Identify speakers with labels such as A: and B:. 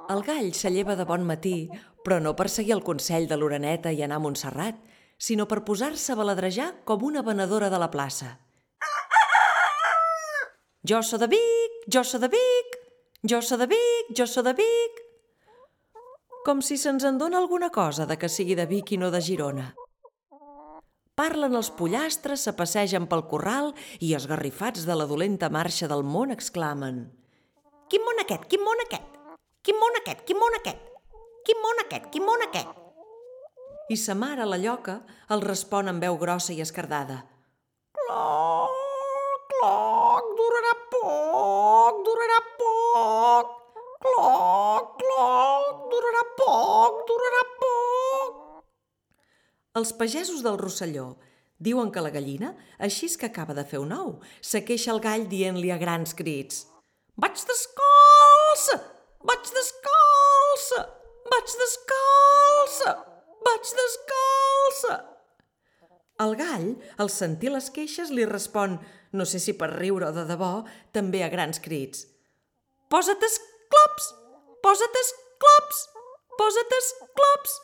A: El gall s'alleva de bon matí, però no per seguir el consell de l'oreneta i anar a Montserrat, sinó per posar-se a baladrejar com una venedora de la plaça. Jo so de Vic, jo so de Vic, jo so de Vic, jo so de Vic. Com si se'ns en dona alguna cosa de que sigui de Vic i no de Girona. Parlen els pollastres, se passegen pel corral i esgarrifats de la dolenta marxa del món exclamen: «Quin món aquest, quin món aquest! Quin món aquest, quin món aquest! Quin món aquest, quin món aquest!» I sa mare, la lloca, els respon amb veu grossa i escardada: «Cloc, cloc, durarà poc, durarà poc! Cloc, cloc, durarà poc, durarà poc!» Els pagesos del Rosselló diuen que la gallina, així que acaba de fer un ou, se queixa el gall dient-li a grans crits: «Vaig descalça! Vaig descalça! Vaig descalça! Vaig descalça!» El gall, al sentir les queixes, li respon, no sé si per riure o de debò, també a grans crits: «Posa't esclops! Posa't esclops! Posa't esclops!